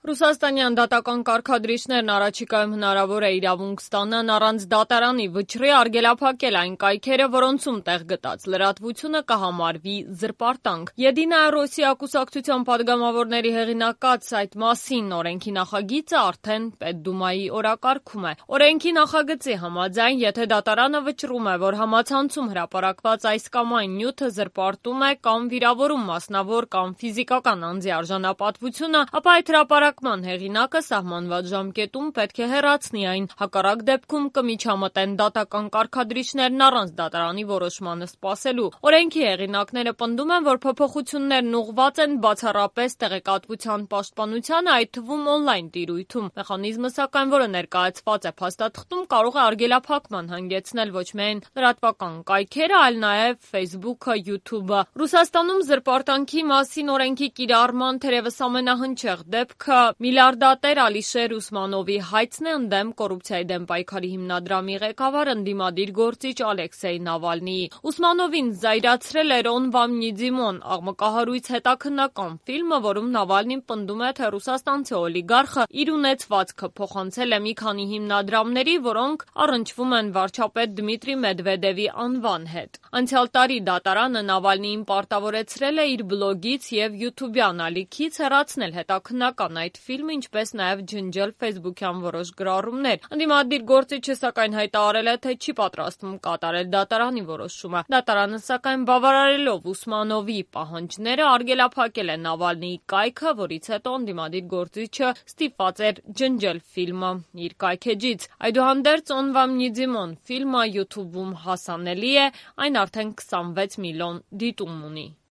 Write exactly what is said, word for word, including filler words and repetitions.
Ռուսաստանյան դատական կարգադրիչներն առաջիկայում հնարավոր է իրավունք ստանան առանց դատարանի վճռի արգելափակել այն կայքերը, որոնցում տեղ գտած լրատվությունը կհամարվի զրպարտանք։ «Եդինայա Ռոսիա» կուսակցության падգամավորների հեղինակած այդ մասին օրենքի նախագիծը արդեն Պետդումայի օրակարգում է։ Օրենքի նախագծի համաձայն, եթե դատարանը վճռում է, որ համացանցում հրապարակված այս կամ այն նյութը զրպարտում է կամ վիրավորում մասնավոր կամ ֆիզիկական անձի արժանապատվությունը, ապա այդ հրապարակ հեղինակը սահմանված ժամկետում պետք է հեռացնի այն, հակառակ դեպքում կմիջամտեն դատական կարգադրիչներն առանց դատարանի որոշմանը սպասելու։ Օրենքի հեղինակները պնդում են, որ փոփոխություններն ուղղված են բացառապես տեղեկատվության պաշտպանությանը, այդ թվում օնլայն տիրույթում։ Մեխանիզմը, սակայն, որը ներկայացված է փաստաթղթում, կարող է արգելափակման հանգեցնել ոչ միայն լրատվական կայքերը, այլ նաև Facebook-ը, YouTube-ը։ Ռուսաստանում զրպարտանքի մասին օրենքի կիրառման թերևս ամենահնչեղ դեպքը միլիարդատեր Ալիշեր Ուսմանովի հայցն է ընդդեմ կոռուպցիայի դեմ պայքարի հիմնադրամի ղեկավար ընդդիմադիր գործիչ Ալեքսեյ Նավալնիի։ Ուսմանովին զայրացրել էր «Он вам не Димон» աղմկահարույց հետաքննական ֆիլմը, որում Նավալնին պնդում է, թե ռուսաստանցի օլիգարխը իր ունեցվածքը փոխանցել է մի քանի հիմնադրամների, որոնք առնչվում են վարչապետ Դմիտրի Մեդվեդևի անվան հետ։ Անցյալ տարի դատարանը Նավալնիին պարտավորեցրել է իր բլոգից և յութուբյան ալիքից հեռացնել հետաքննական այդ ֆիլմը, ինչպես նաև ջնջել ֆեյսբուքյան որոշ գրառումներ։ Ընդդիմադիր գործիչը, սակայն, հայտարարել է, թե չի պատրաստվում կատարել դատարանի որոշումը։ Դատարանը, սակայն, բավարարելով Ուսմանովի պահանջները, արգելափակել է Նավալնիի կայքը, որից հետո ընդդիմադիր գործիչը ստիպված էր ջնջել ֆիլմը իր կայքէջից։ Այդուհանդերձ «Он вам не Димон» ֆիլմը յութուբում հասանելի է, այն արդեն քսանվեց միլիոն դիտում ունի։